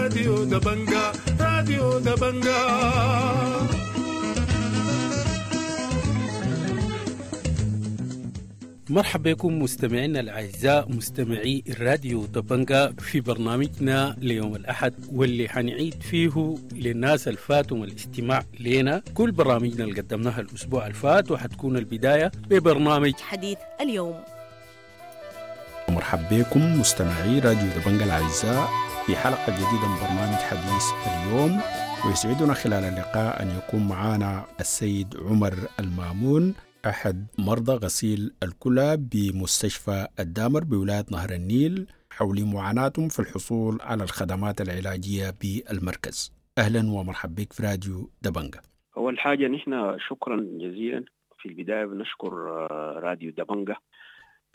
راديو دبنجا، راديو دبنجا. مرحبا بكم مستمعينا الأعزاء مستمعي الراديو دبنجا في برنامجنا ليوم الأحد، واللي حنعيد فيه للناس الفاتهم الاستماع لنا كل برامجنا اللي قدمناها الأسبوع الفات، وحتكون البداية ببرنامج حديث اليوم. مرحبا بكم مستمعي راديو دبنجا الأعزاء في حلقة جديدة من برنامج حديث اليوم، ويسعدنا خلال اللقاء أن يكون معنا السيد عمر المامون، أحد مرضى غسيل الكلى بمستشفى الدامر بولاية نهر النيل، حول معاناتهم في الحصول على الخدمات العلاجية بالمركز. أهلا ومرحبا بك في راديو دبنجا. أول حاجة نحن شكرا جزيلا، في البداية بنشكر راديو دبنجا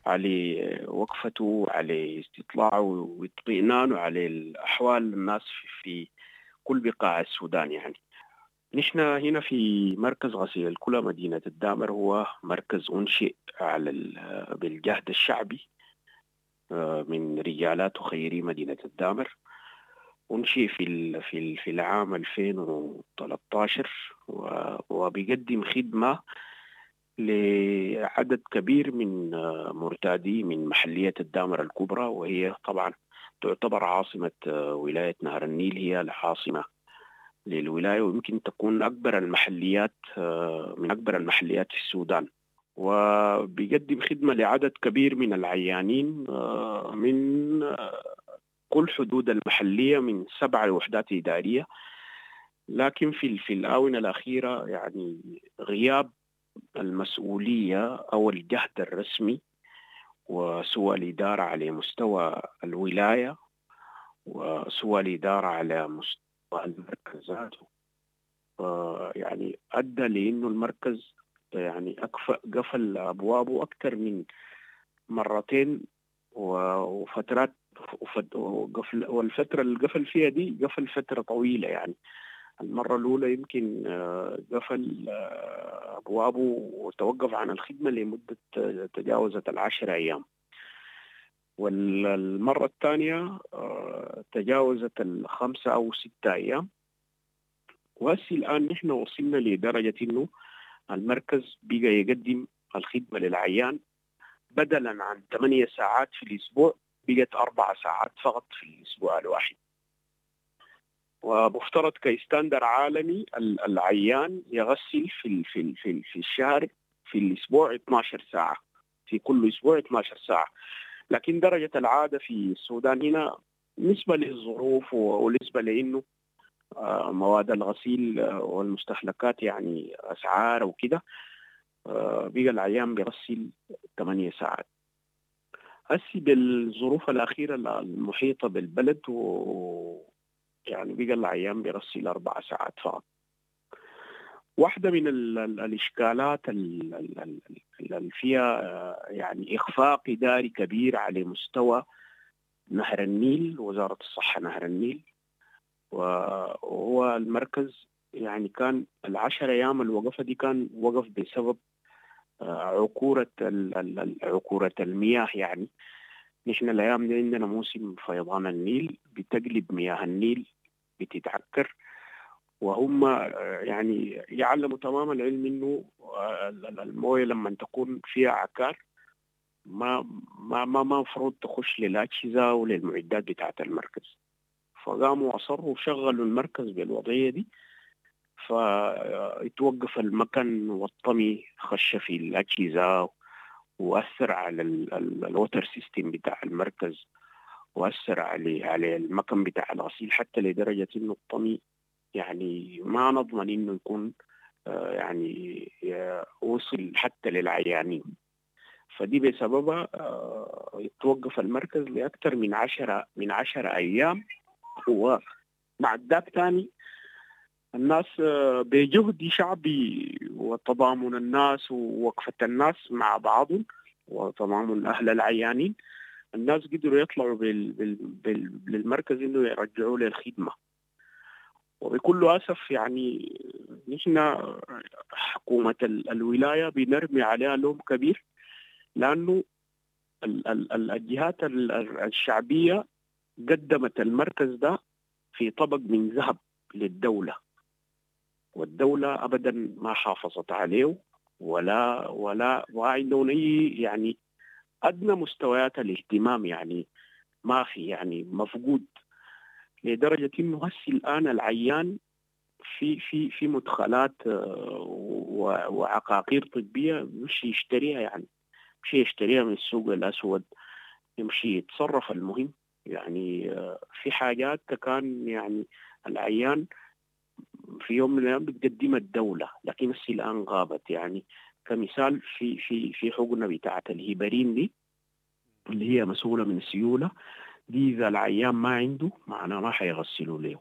على وقفته، على استطلاعه واطمئنانه على الأحوال الناس في كل بقاع السودان. يعني نحن هنا في مركز غسيل الكلى مدينة الدامر، هو مركز أنشئ على بالجهد الشعبي من رجالات وخيري مدينة الدامر. أنشئ في العام 2013 وبيقدم خدمة لعدد كبير من مرتادي من محلية الدامر الكبرى، وهي طبعا تعتبر عاصمة ولاية نهر النيل، هي العاصمة للولاية، ويمكن تكون أكبر المحليات، من أكبر المحليات في السودان. وبيقدم خدمة لعدد كبير من العيانين من كل حدود المحلية، من 7 وحدات إدارية. لكن في الآونة الأخيرة يعني غياب المسؤولية أو الجهد الرسمي وسوى الإدارة على مستوى الولاية وسوى الإدارة على مستوى المركز ذاته، يعني أدى لأنه المركز يعني قفل أبوابه أكثر من مرتين وفترات، والفترة اللي قفل فيها دي قفل فترة طويلة. يعني المرة الأولى يمكن قفل أبوابه وتوقف عن الخدمة لمدة تجاوزت 10 أيام، والمرة الثانية تجاوزت 5 أو 6 أيام. وهسي الآن نحن وصلنا لدرجة إنه المركز بقى يقدم الخدمة للعيان بدلا عن 8 ساعات في الأسبوع، بقت 4 ساعات فقط في الأسبوع الواحد. ومفترض كستاندر عالمي العيان يغسل في في في في الشهر في الأسبوع 12 ساعة، في كل أسبوع 12 ساعة. لكن درجة العادة في السودان هنا بالنسبة للظروف ونسبة لأنه مواد الغسيل والمستهلكات يعني أسعار وكده، بقى العيان بيغسل 8 ساعات. هسي بالظروف الأخيرة المحيطة بالبلد يعني بقى العيان بيغسل 4 ساعات فقط. واحدة من الإشكالات اللي فيها يعني إخفاق إداري كبير على مستوى نهر النيل، وزارة الصحة نهر النيل، وهو المركز يعني كان 10 أيام الوقفة دي كان وقف بسبب عكورة المياه. يعني نحن الأيام دي عندنا موسم فيضان النيل، بتقلب مياه النيل بتتعكر، وهم يعني يعلموا تمام العلم انه المويه لما تكون فيها عكار ما ما ما مفروض تخش للاجهزه وللمعدات بتاعه المركز. فقاموا اصروا وشغلوا المركز بالوضعيه دي، فاتوقف المكن والطمي خش في الاجهزه واثر على ال water system بتاع المركز، واثر على المكن بتاع الغسيل، حتى لدرجه انه الطمي يعني ما نضمن انه يكون يعني وصل حتى للعيانين. فدي بسببها توقف المركز لاكثر من 10 ايام. وبعد ذاك ثاني الناس بجهد شعبي وتضامن الناس ووقفة الناس مع بعضهم وتضامن أهل العيانين، الناس قدروا يطلعوا للمركز إنه يرجعوا للخدمة. وبكل أسف يعني نحن حكومة الولاية بنرمي عليها لوم كبير، لأنه الجهات الشعبية قدمت المركز ده في طبق من ذهب للدولة، والدولة أبدا ما حافظت عليه ولا وعندهم أي يعني أدنى مستويات الاهتمام، يعني ما في، يعني مفقود لدرجة إنه هسي الآن العيان في في في مدخلات وعقاقير طبية مش يشتريها، يعني مش يشتريها من السوق الأسود، يمشي يتصرف. المهم يعني في حاجات كان يعني العيان في يوم من الأيام بتقدمها الدولة، لكن هسي الآن غابت. يعني كمثال في في في حقنة بتاعة الهيبرين دي اللي هي مسؤولة من السيولة دي، إذا العيان ما عنده معناه ما حيغسلوا له.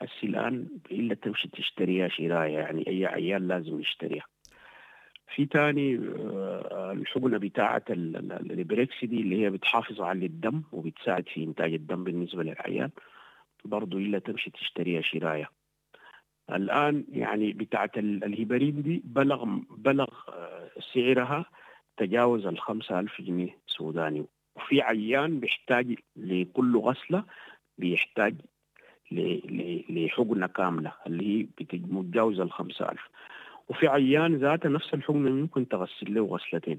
هسي الآن إلا تمشي تشتريها شراية، يعني أي عيان لازم يشتريها. في تاني الحقنة بتاعة الإبريكس دي اللي هي بتحافظ على الدم وبتساعد في إنتاج الدم بالنسبة للعيان، برضو إلا تمشي تشتريها شراية. الآن يعني بتاعة الهيبرين دي بلغ سعرها تجاوز 5,000 جنيه سوداني. وفي عيان بيحتاج لكل غسلة بيحتاج لحقنة كاملة اللي هي متجاوزة 5,000. وفي عيان ذاته نفس الحقنة ممكن تغسل له غسلتين.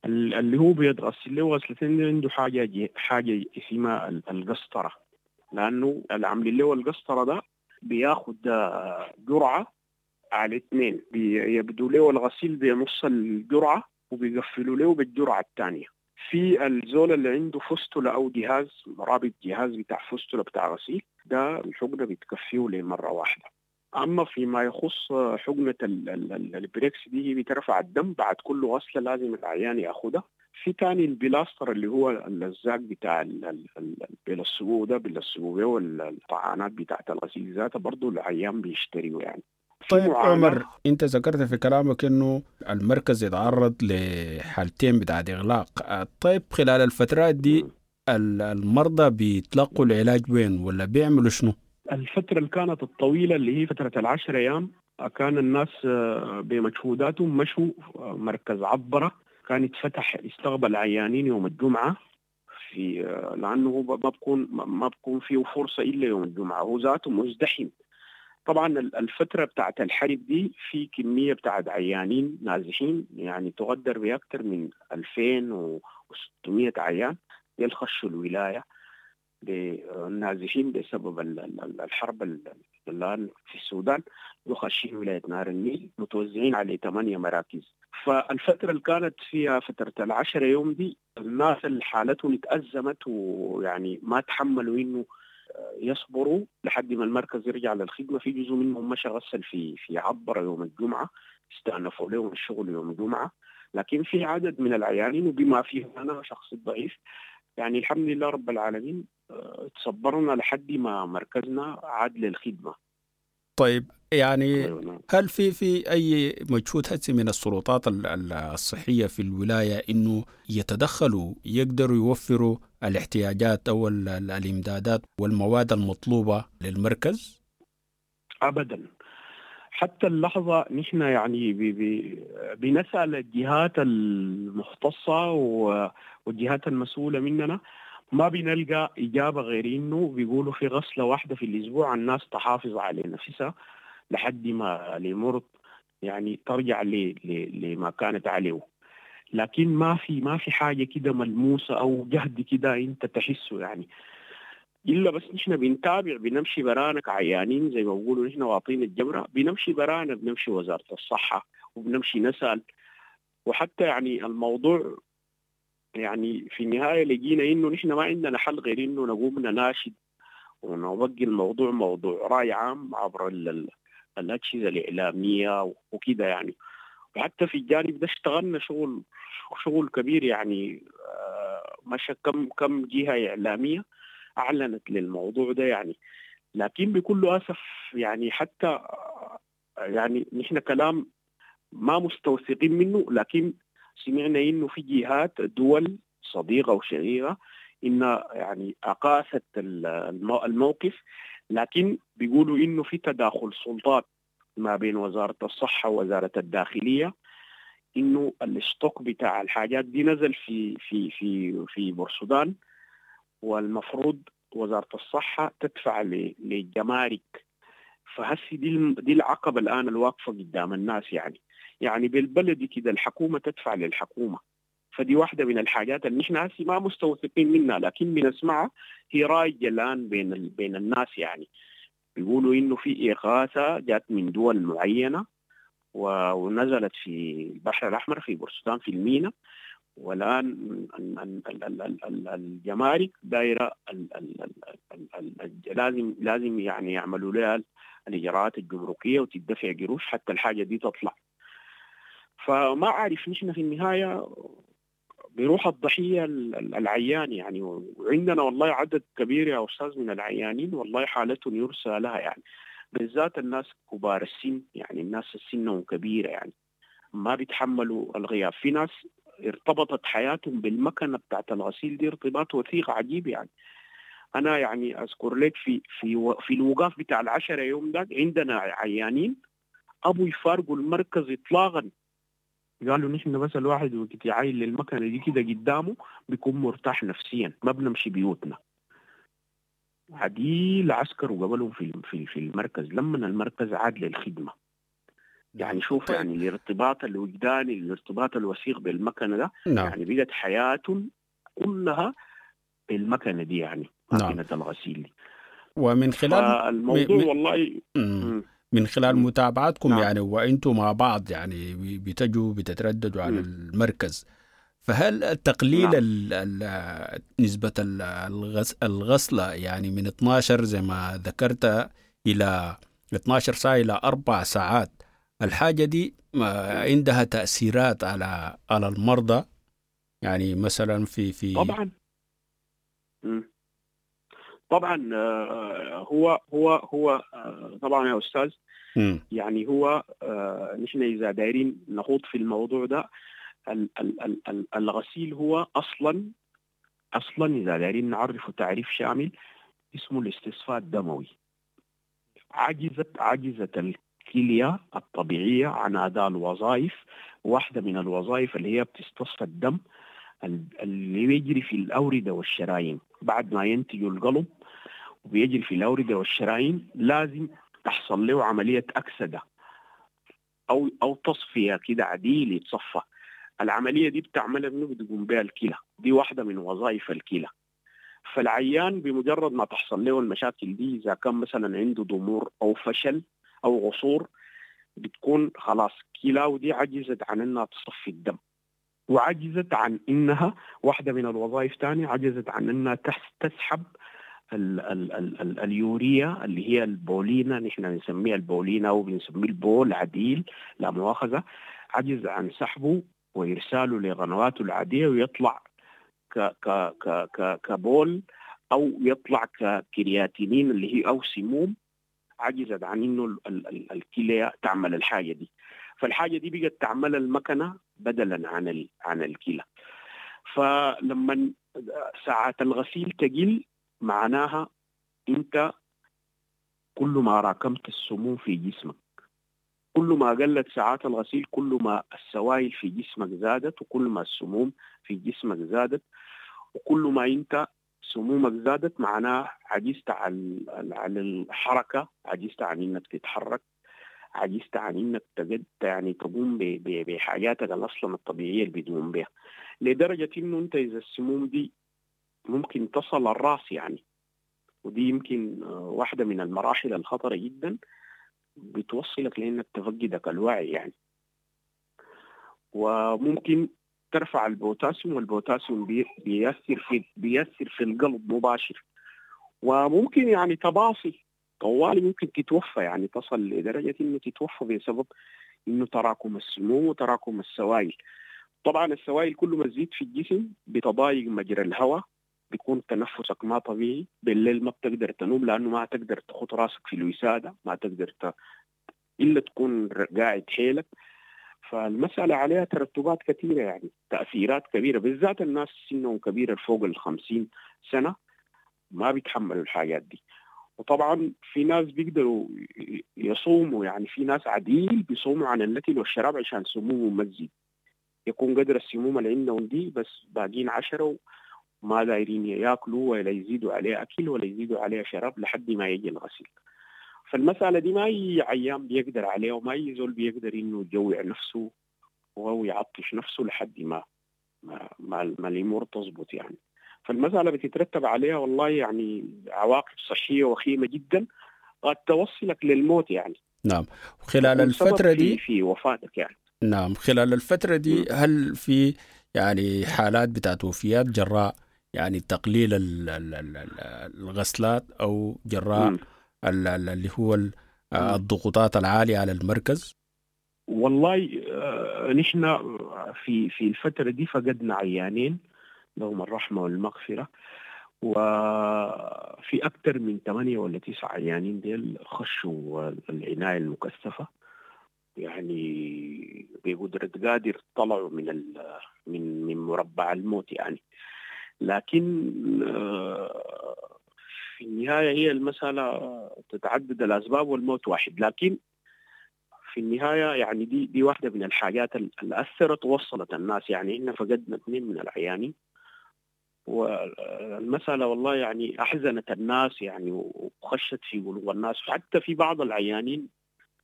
اللي هو بيتغسل له غسلتين عنده حاجة اسمها القسطرة، لأنه اللي عاملين له القسطرة ده بياخد جرعة على 2، بيبدو له الغسيل بنص الجرعة وبيقفلوا له بالجرعة الثانية. في الزول اللي عنده فستلة أو جهاز رابط، جهاز بتاع فستلة بتاع غسيل، ده الحقنة بتكفيه لمرة واحدة. أما فيما يخص حقنة البريكس دي، هي بترفع الدم بعد كل غسلة لازم العيان ياخدها. في تاني البلاستر اللي هو اللزاق بتاع بيلصقوه ده، بيلصقوه والطعانات بتاعت الغسيل ذاته برضه العيان بيشتريه يعني. طيب عمر، انت ذكرت في كلامك انه المركز يتعرض لحالتين بتاعت اغلاق. طيب خلال الفترات دي المرضى بيتلقوا العلاج وين ولا بيعملوا شنو؟ الفترة اللي كانت الطويلة اللي هي فترة 10 أيام كان الناس بمجهوداتهم مشوا مركز عبرة، كان يتفتح يستقبل عيانين يوم الجمعة، في لأنه هو ما بكون فيه فرصة إلا يوم الجمعة، هو ذاته مزدحم. طبعا الفترة بتاعت الحرب دي في كمية بتاعت عيانين نازحين يعني تقدر بأكثر من 2600 عيان يخشوا الولاية بالنازحين بسبب الحرب الآن في السودان، يخشين ولاية نهر النيل متوزعين على 8 مراكز. فالفترة اللي كانت فيها فترة 10 يوم دي الناس اللي حالتهم اتأزمت ويعني ما تحملوا إنه يصبروا لحد ما المركز يرجع للخدمة. في جزء منهم مشى غسل في عبرة يوم الجمعة، استأنفوا لهم الشغل يوم الجمعة. لكن في عدد من العيانين وبما فيهم أنا شخص ضعيف، يعني الحمد لله رب العالمين تصبرنا لحد ما مركزنا عاد للخدمة. طيب يعني هل في أي مجهود هسي من السلطات الصحية في الولاية إنه يتدخلوا يقدروا يوفروا الاحتياجات أو الإمدادات والمواد المطلوبة للمركز؟ أبدا، حتى اللحظة نحن يعني بنسأل الجهات المختصة والجهات المسؤولة مننا، ما بنلقى إجابة غير إنه بيقولوا في غسلة واحدة في الأسبوع الناس تحافظ على نفسها لحد ما الأمور يعني ترجع لما كانت عليه. لكن ما في حاجة كده ملموسة أو جهد كده أنت تحسه يعني، إلا بس نحن بنتابع، بنمشي برانا كعيانين زي ما بيقولوا نحن واطين الجمرة، بنمشي برانا، بنمشي وزارة الصحة وبنمشي نسأل. وحتى يعني الموضوع يعني في النهاية لقينا إنه نحن ما عندنا حل غير إنه نقوم نناشد ونوجه الموضوع موضوع رأي عام عبر الأجهزة الإعلامية وكده يعني. وحتى في الجانب ده اشتغلنا شغل كبير يعني، مشى كم جهة إعلامية أعلنت للموضوع ده يعني. لكن بكل أسف يعني حتى يعني نحن كلام ما مستوثقين منه، لكن سمعنا إنه في جهات دول صديقة وشقيقة إن يعني أقاست الموقف، لكن بيقولوا إنه في تداخل سلطات ما بين وزارة الصحة ووزارة الداخلية، إنه الستوك بتاع الحاجات دي نزل في في في في بورسودان، والمفروض وزارة الصحة تدفع للجمارك. فهسي دي العقبة الآن الواقفة قدام الناس يعني بالبلدي كده الحكومة تدفع للحكومة. فدي واحدة من الحاجات اللي نحن هسي ما مستوثقين منها، لكن بنسمعها هي رايجة الآن بين الناس. يعني بيقولوا إنه في إغاثة جات من دول معينة ونزلت في البحر الأحمر في بورسودان في المينا، والآن الجمارك دايرة لازم يعني يعملوا لها الإجراءات الجمركية وتدفع قروش حتى الحاجة دي تطلع. فما أعرف نحن في النهاية بيروح الضحية العيان يعني. وعندنا والله عدد كبير يا أستاذ من العيانين والله حالتهم يرثى لها يعني، بالذات الناس كبار السن، يعني الناس السنهم كبيرة يعني ما بيتحملوا الغياب. في ناس ارتبطت حياتهم بالمكنة بتاعت الغسيل دي ارتباط وثيق عجيب يعني. أنا يعني أذكر لك في في في الوقاف بتاع 10 يوم ده عندنا عيانين أبو يفارقوا المركز إطلاقا، قالوا نحن بس الواحد وقت يعاين للمكنة دي كده قدامه بيكون مرتاح نفسيا، ما بنمشي بيوتنا. عديل عسكر وقبلهم في في في المركز لما المركز عاد للخدمة. يعني شوف يعني الارتباط الوجداني، الارتباط الوثيق بالمكنة ده. نعم. يعني بقت حياتهم كلها بالمكنة دي يعني، ماكينة الغسيل دي. ومن خلال الموضوع والله من خلال متابعتكم. نعم. يعني وانتم مع بعض يعني بتجوا بتترددوا على المركز، فهل تقليل. نعم. نسبة الغسلة يعني من 12 زي ما ذكرت إلى 12 ساعة إلى 4 ساعات، الحاجة دي عندها تأثيرات على المرضى يعني مثلا في طبعا. طبعا هو هو هو طبعا يا أستاذ. يعني هو نحن إذا دايرين نخوض في الموضوع ده، الغسيل هو أصلا إذا دايرين نعرفه تعريف شامل اسمه الاستصفاء الدموي. عجزت الكلية الطبيعية عن أداء الوظائف، واحدة من الوظائف اللي هي بتستصفى الدم اللي بيجري في الأوردة والشرايين. بعد ما ينتج القلب وبيجري في الأوردة والشرايين لازم تحصل له عملية أكسدة أو تصفية كده عديل يتصفى. العملية دي بتعملها منه بتقوم بها الكلى، دي واحدة من وظائف الكلى. فالعيان بمجرد ما تحصل له المشاكل دي، إذا كان مثلا عنده ضمور أو فشل أو قصور، بتكون خلاص كلاو دي عجزت عن أنها تصفي الدم، وعجزت عن إنها واحدة من الوظائف تانية، عجزت عن إنها تسحب ال ال ال ال اليوريا اللي هي البولينا، نحن بنسميها البولينا أو بنسميه البول عديل لا مؤاخذة، عجز عن سحبه وإرساله لقنواته العادية ويطلع ك ك ك ك كبول أو يطلع ككرياتينين اللي هي أو سموم. عجزت عن إنه الكلية تعمل الحاجة دي، فالحاجة دي بقت تعمل المكنة بدلا عن الكلى. فلما ساعات الغسيل تقل معناها انت كل ما راكمت السموم في جسمك، كل ما قلت ساعات الغسيل كل ما السوائل في جسمك زادت، وكل ما السموم في جسمك زادت، وكل ما انت سمومك زادت معناها عجزت عن الحركة، عجزت عن انك تتحرك، عجزت عن انك تجد يعني تقوم بحاجاتك اصلا الطبيعيه اللي بتقوم بها، لدرجه انه انت اذا السموم دي ممكن تصل الراس يعني، ودي يمكن واحده من المراحل الخطره جدا، بتوصلك لانك تفقدك الوعي يعني. وممكن ترفع البوتاسيوم، والبوتاسيوم بيأثر في القلب مباشر، وممكن يعني تباصي طوالي، ممكن تتوفى يعني، تصل لدرجة إنه تتوفى بسبب إنه تراكم السموم وتراكم السوائل. طبعا السوائل كل ما تزيد في الجسم بتضايق مجرى الهواء، بيكون تنفسك ما طبيعي، بالليل ما بتقدر تنوم لأنه ما تقدر تحط راسك في الوسادة، ما تقدر إلا تكون قاعد حيلك. فالمسألة عليها ترتبات كثيرة يعني، تأثيرات كبيرة، بالذات الناس سنهم كبيرة فوق 50 سنة ما بيتحملوا الحاجات دي. وطبعا في ناس بيقدروا يصوموا يعني، في ناس عديل بيصوموا عن الأكل والشراب عشان سمومهم ما تزيد، يكون قدر السموم اللي عندهم دي بس باقين 10 ما دايرين ياكلوا ولا يزيدوا عليه اكل ولا يزيدوا عليه شراب لحد ما يجي الغسيل. فالمسألة دي ما أي عيان بيقدر عليها، وما أي زول بيقدر إنه يجوع نفسه أو يعطش نفسه لحد ما ما, ما, ما الأمور تظبط يعني. فالمسألة بتترتب عليها والله يعني عواقب صحية وخيمة جدا قد توصلك للموت يعني. نعم، خلال الفترة دي في وفاتك يعني. نعم، خلال الفترة دي هل في يعني حالات بتاعت وفيات جراء يعني تقليل الغسلات أو جراء اللي هو الضغوطات العالية على المركز؟ والله نحن في الفترة دي فقدنا عيانين لهم الرحمة والمغفرة، وفي أكثر من 8 ولا 9 عيانين ديل خشوا العناية المكثفة، يعني بقدرة قادر طلعوا من من مربع الموت يعني. لكن في النهاية هي المسألة تتعدد الأسباب والموت واحد، لكن في النهاية يعني دي واحدة من الحاجات اللي أثرت ووصلت الناس يعني. إحنا فقدنا 2 من العيانين، والمسألة والله يعني أحزنت الناس يعني وخشت في قلوب الناس، وحتى في بعض العيانين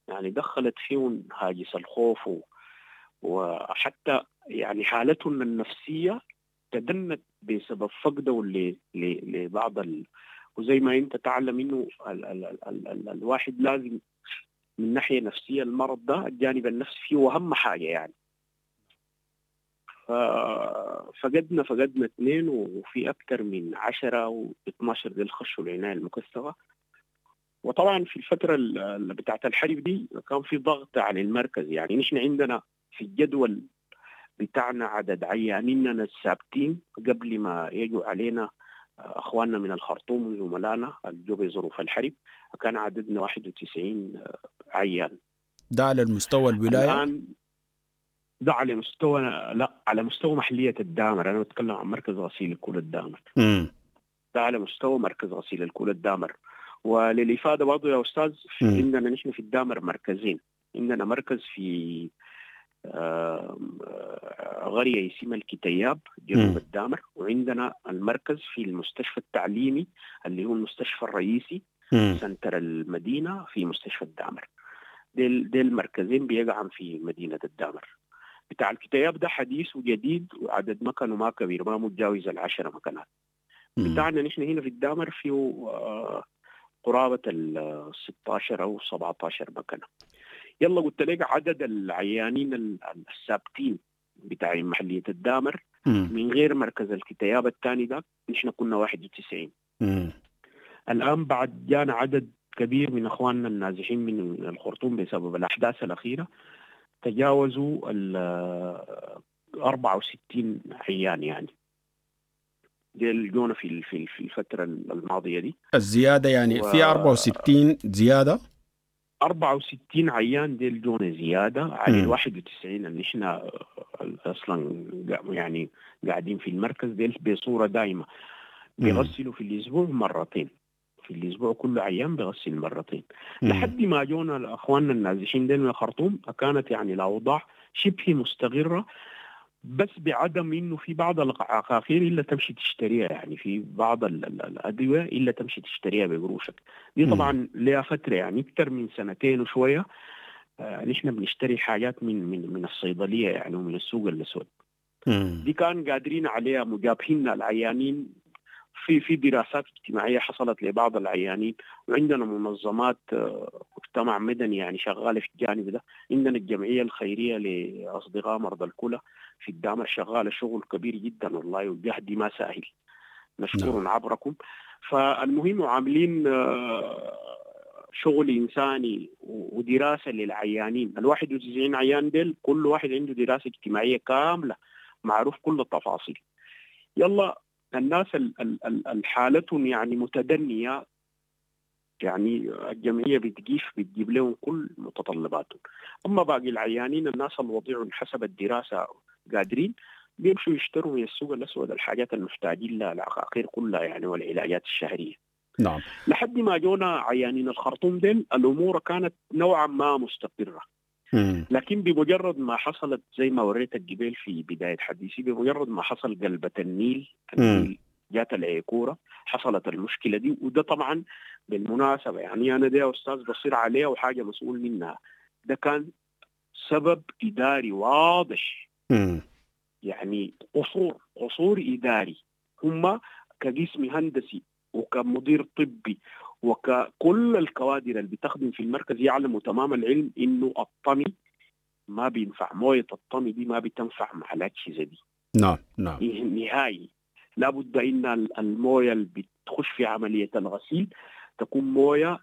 يعني دخلت فيهم هاجس الخوف، وحتى يعني حالتهم النفسية تدنت بسبب فقده لبعض وزي ما انت تعلم انه ال ال ال ال الواحد لازم من ناحية نفسية المرض ده الجانب النفسي فيه أهم حاجة يعني. فقدنا 2، وفي أكثر من 10 و12 ديل خشوا العناية المكثفة. وطبعا في الفترة اللي بتاعت الحرب دي كان في ضغط على المركز يعني. نحن عندنا في الجدول بتاعنا عدد عيانيننا الثابتين قبل ما يجوا علينا اخواننا من الخرطوم وزملائنا اللي جو بظروف الحرب، كان عددنا 91 عيان. ده على المستوى الولاية؟ الآن ده على مستوى، لا على مستوى محلية الدامر، أنا بتكلم عن مركز غسيل الكلى الدامر. ده على مستوى مركز غسيل الكلى الدامر. وللإفادة برضه يا أستاذ، عندنا نحن في الدامر مركزين، عندنا مركز في قرية اسمها الكتياب جنوب الدامر، وعندنا المركز في المستشفى التعليمي اللي هو المستشفى الرئيسي سنتر المدينة في مستشفى الدامر. ديل المركزين بيقعن في مدينة الدامر. بتاع الكتياب ده حديث وجديد وعدد مكانه ما كبير، ما متجاوز 10 مكانات. بتاعنا نحن هنا في الدامر فيه قرابة 16 أو 17 مكانة. يلا قلت لك عدد العيانين الثابتين بتاع محلية الدامر من غير مركز الكتياب الثاني ده نحن كنا 91. الآن بعد جانا عدد كبير من أخواننا النازحين من الخرطوم بسبب الأحداث الأخيرة، تجاوزوا 64 عيان يعني. ديل جونا في في الفترة الماضية دي. الزيادة يعني في 64 زيادة؟ 64 عيان ديل جونا زيادة على 91 اللي احنا أصلا يعني قاعدين في المركز ديل بصورة دائمة. بيغسلوا في الأسبوع مرتين، في الأسبوع كل عيان بيغسل مرتين. لحد ما جونا أخواننا النازحين ديل من الخرطوم كانت يعني الأوضاع شبه مستقرة، بس بعدم انه في بعض العقاقير الا تمشي تشتريها، يعني في بعض الادويه الا تمشي تشتريها بقروشك دي. طبعا لها فتره يعني اكثر من سنتين وشويه نحن بنشتري حاجات من من من الصيدليه يعني ومن السوق الاسود. دي كان قادرين عليها مجابهين العيانين. في دراسات اجتماعيه حصلت لبعض العيانين، وعندنا منظمات مجتمع مدني يعني شغاله في الجانب ده. عندنا الجمعيه الخيريه لاصدقاء مرضى الكلى في الدامر شغاله شغل كبير جدا والله، والجهد ما سهل، نشكر عبركم. فالمهم عاملين شغل انساني ودراسه للعيانين. 91 عيان ديل كل واحد عنده دراسه اجتماعيه كامله معروف كل التفاصيل. يلا الناس الحالتهم يعني متدنية، يعني الجمعية بتجيف بتجيب لهم كل متطلباتهم. أما باقي العيانين الناس الوضيع حسب الدراسة قادرين بيمشوا يشتروا من السوق الأسود الحاجات المحتاجين لها، العقاقير كلها يعني والعلاجات الشهرية. نعم. لحد ما جونا عيانين الخرطوم ديل الأمور كانت نوعا ما مستقرة. لكن بمجرد ما حصلت زي ما وريتك قبل في بداية حديثي، بمجرد ما حصل قلبة النيل، النيل جات العيكوره، حصلت المشكلة دي. وده طبعا بالمناسبة يعني انا ده يا استاذ بصير عليها وحاجه مسؤول منها، ده كان سبب اداري واضح. يعني قصور اداري، هم كجسم هندسي وكمدير طبي وككل الكوادر اللي بتخدم في المركز يعلموا تمام العلم انه الطمي ما بينفع، مويه الطمي دي ما بتنفع مع الاجهزة دي. نعم نعم، نهائي. لابد ان المويه اللي بتخش في عملية الغسيل تكون مويه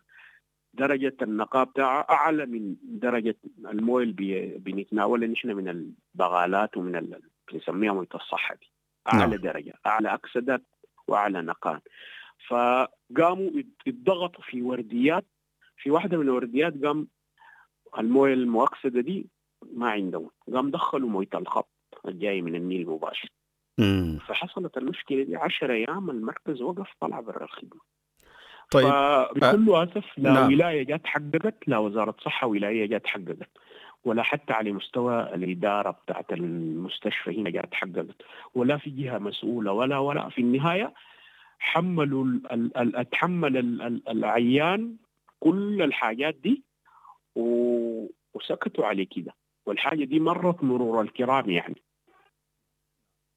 درجه النقاء بتاعها اعلى من درجه المويه اللي بنتناولها نحن من البغالات ومن اللي بنسميها مويه الصحة دي. اعلى نعم. درجه، اعلى اكسده واعلى نقاء. فقاموا اتضغطوا في ورديات، في واحدة من الورديات قام المويه المؤكسده دي ما عندهم، قام دخلوا مويه الخط الجاي من النيل مباشر. فحصلت المشكلة دي 10 ايام، المركز وقف، طلع برا الخدمة. طيب بكل اسف لا نعم. ولاية جات حققت، لا وزارة صحة ولاية جات حققت، ولا حتى على مستوى الادارة بتاعت المستشفى هنا جات حققت، ولا في جهة مسؤولة ولا في النهاية حملوا اتحمل العيان كل الحاجات دي وسكتوا عليه كده، والحاجة دي مرت مرور الكرام يعني.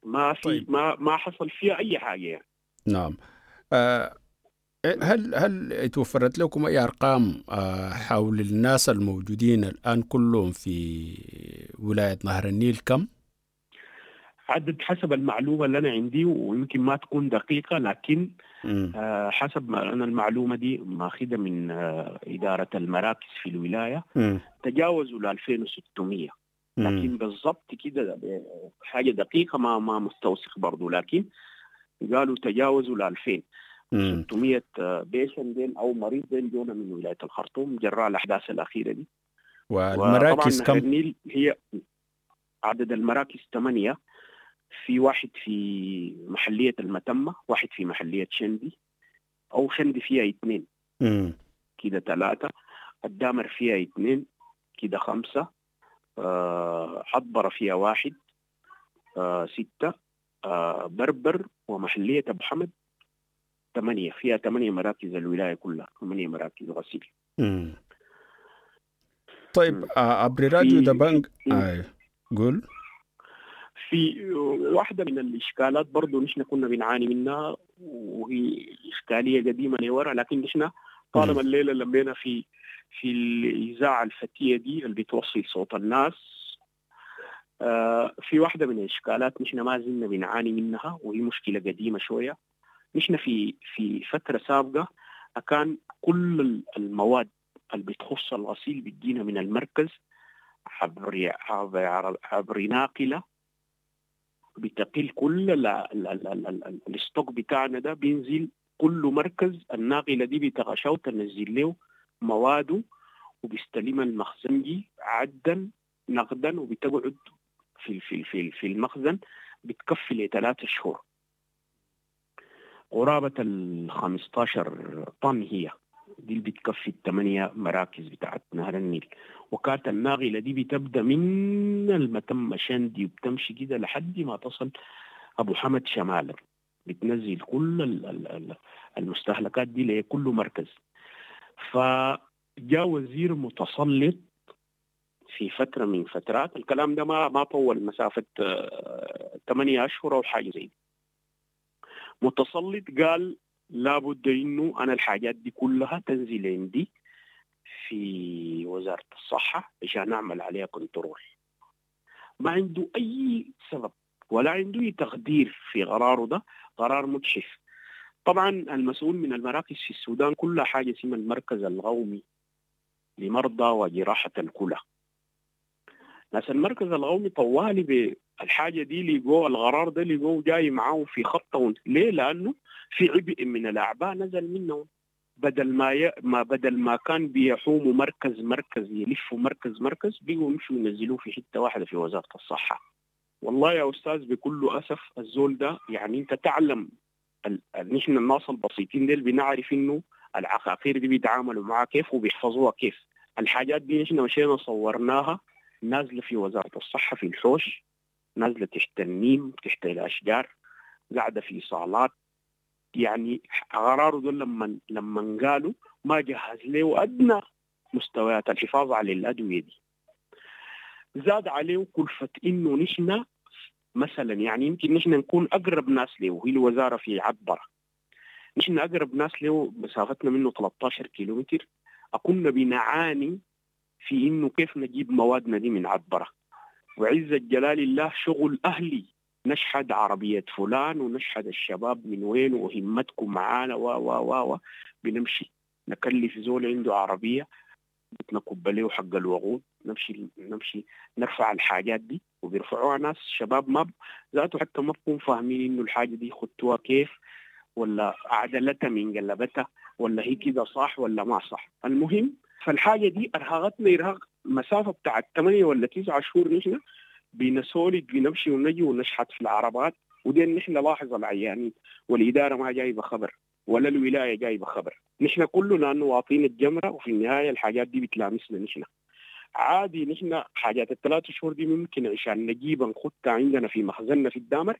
ما في طيب. ما حصل فيها اي حاجة يعني. نعم. هل توفرت لكم اي ارقام حول الناس الموجودين الان كلهم في ولاية نهر النيل كم؟ عدد حسب المعلومة اللي انا عندي، ويمكن ما تكون دقيقة، لكن حسب ما انا المعلومة دي ماخذها من ادارة المراكز في الولاية، تجاوزوا ل 2600. لكن بالضبط كده حاجة دقيقة ما مستوثق برضه، لكن قالوا تجاوزوا ل 2600 patient ديل او مريض ديل جونا من ولاية الخرطوم جراء الاحداث الاخيرة دي. والمراكز كم؟ النيل هي عدد المراكز 8، في واحد في محلية المتمة، واحد في محلية شندي، أو شندي فيها 2 كده 3، الدامر فيها 2 كده 5، حضبرة فيها 1، 6، بربر ومحلية أبو حمد 8، فيها 8 مراكز الولاية كلها، 8 مراكز غسيل. طيب عبر راديو دبنج قول. في واحدة من الإشكالات برضو نحن كنا بنعاني منها، وهي إشكالية قديمة لورا، لكن نحن طالما الليلة لمينا في الإذاعة الفتية دي اللي بتوصل صوت الناس، في واحدة من الإشكالات نحن ما زلنا بنعاني منها، وهي مشكلة قديمة شوية. نحن في فترة سابقة كان كل المواد اللي بتخص الغسيل بتجينا من المركز عبر ناقلة بتقل كل الستوك بتاعنا ده، بينزل كل مركز الناقلة دي بتغشى وتنزل له مواده، وبيستلمها المخزنجي عدا نقدا، وبتقعد في في في في المخزن بتكفي ل3 شهور. قرابة ال 15 طن هي دي اللي بتكفي 8 مراكز بتاعت نهر النيل. وكانت الناقلة دي بتبدأ من المتمة شندي وبتمشي كده لحد ما تصل أبو حمد شمالا، بتنزل كل المستهلكات دي لكل مركز. فجاء وزير متسلط في فترة من فترات، الكلام ده ما طول مسافة 8 أشهر أو حاجة زي دي، متسلط قال لابد انه انا الحاجات دي كلها تنزل عندي في وزارة الصحة عشان نعمل عليها control. ما عنده اي سبب ولا عنده اي تقدير في قراره ده، قرار مجحف. طبعا المسؤول من المراكز في السودان كلها حاجة اسمها المركز القومي لمرضى وجراحة الكلى. ناس المركز القومي طوالي بالحاجة دي لقوا القرار ده، لقوه جاي معاه في خطة. ليه؟ لأنه في عبء من الأعباء نزل منهم، بدل ما كان بيحوموا مركز مركز يلفوا مركز مركز، بيقوا يمشوا ينزلوه في حتة واحدة في وزارة الصحة. والله يا أستاذ بكل أسف الزول ده، يعني أنت تعلم نحن الناس البسيطين ديل بنعرف إنه العقاقير دي بيتعاملوا معها كيف وبيحفظوها كيف. الحاجات دي نحن مشينا صورناها نازلة في وزارة الصحة في الحوش، نازلة تحت النيم، تحت الأشجار، قاعدة في صالات. يعني قراره ده لما قالوا ما جهز له ادنى مستويات الحفاظ على الادوية دي. زاد عليه كلفه انه نحن مثلا يعني يمكن نحن نكون اقرب ناس له، وهي الوزارة في عبره، نحن اقرب ناس له مسافتنا منه 13 كيلومتر، كنا بنعاني في انه كيف نجيب موادنا دي من عبره. وعزة جلال الله شغل اهلي، نشحد عربية فلان ونشحد الشباب من وين وهمتكم معانا و و و و بنمشي نكلف زول عنده عربية نكب له حق الوقود، نمشي نرفع الحاجات دي، وبيرفعوها ناس شباب ما ذاته حتى ما بكون فاهمين انه الحاجة دي خدتوها كيف ولا عدلتها من قلبتها ولا هي كده صح ولا ما صح. المهم فالحاجة دي ارهقتنا ارهاق مسافة بتاعت 8 ولا 9 شهور نحن بنسولد بنمشي ونجي ونشحت في العربات، ودين نحن لاحظ العيانين والإدارة ما جايبة خبر ولا الولاية جايبة خبر، نحن كلنا لأنه واطين الجمرة، وفي النهاية الحاجات دي بتلامسنا نحن عادي. نحن حاجات ال3 شهور دي ممكن عشان نجيبها نخدها عندنا في مخزننا في الدامر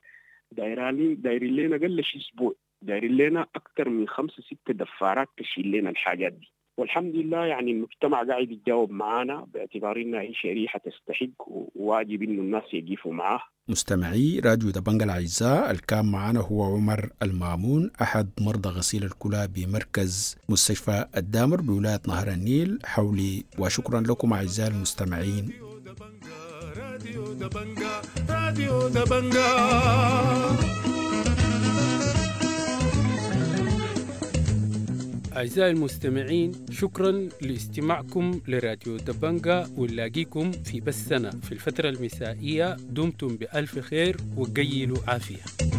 دايرين لنا قل شيء أسبوع، دايرين لنا أكثر من 5 6 دفارات تشيل لنا الحاجات دي. والحمد لله يعني المجتمع قاعد يتجاوب معانا باعتبار انها هي شريحة تستحق وواجب انه الناس يقفوا معاه. مستمعي راديو دبنجا الاعزاء، الكان معنا هو عمر المامون، احد مرضى غسيل الكلى بمركز مستشفى الدامر بولاية نهر النيل حولي. وشكرا لكم اعزائي المستمعين. راديو دبنجا، راديو دبنجا. أعزائي المستمعين، شكرا لاستماعكم لراديو دبنجا، ونلاقيكم في بثنا في الفترة المسائية. دمتم بألف خير وقيلوا عافية.